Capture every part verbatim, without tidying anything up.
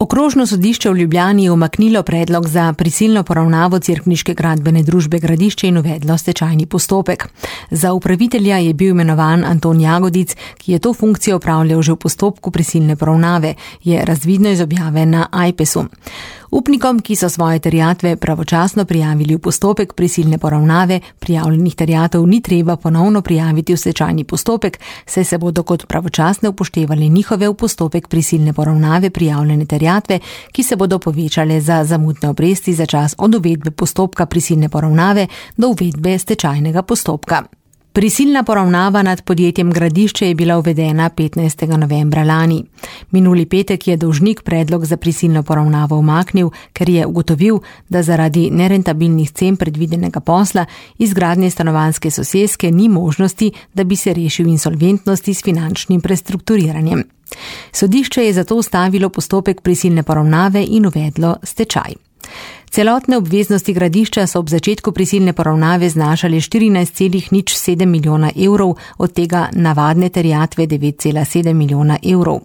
Okrožno sodišče v Ljubljani je umaknilo predlog za prisilno poravnavo Cerkniške gradbene družbe Gradišče in uvedlo stečajni postopek. Za upravitelja je bil imenovan Anton Jagodic, ki je to funkcijo opravljal že v postopku prisilne poravnave, je razvidno iz objave na Ajpesu. Upnikom, ki so svoje terjatve pravočasno prijavili v postopek prisilne poravnave, prijavljenih terjatev ni treba ponovno prijaviti v stečajni postopek, saj se bodo kot pravočasne upoštevali njihove v postopek prisilne poravnave prijavljene terjatve, ki se bodo povečale za zamudne obresti za čas od uvedbe postopka prisilne poravnave do uvedbe stečajnega postopka. Prisilna poravnava nad podjetjem Gradišče je bila uvedena petnajstega novembra lani. Minuli petek je dolžnik predlog za prisilno poravnavo umaknil, ker je ugotovil, da zaradi nerentabilnih cen predvidenega posla izgradnje stanovanjske soseske ni možnosti, da bi se rešil insolventnosti s finančnim prestrukturiranjem. Sodišče je zato ustavilo postopek prisilne poravnave in uvedlo stečaj. Celotne obveznosti Gradišča so ob začetku prisilne poravnave znašale štirinajst celih nič sedem milijona evrov, od tega navadne terjatve devet celih sedem milijona evrov.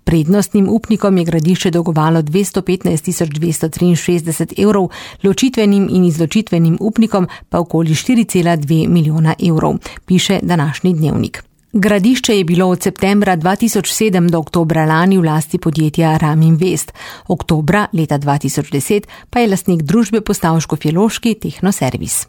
Prednostnim upnikom je Gradišče dolgovalo dvesto petnajst tisoč dvesto triinšestdeset evrov, ločitvenim in izločitvenim upnikom pa okoli štiri celih dve milijona evrov, piše današnji Dnevnik. Gradišče je bilo od septembra dva tisoč sedem do oktobra lani v lasti podjetja Raminvest. Oktobra leta dva tisoč deset pa je lastnik družbe postal škofjeloški Tehnoservis.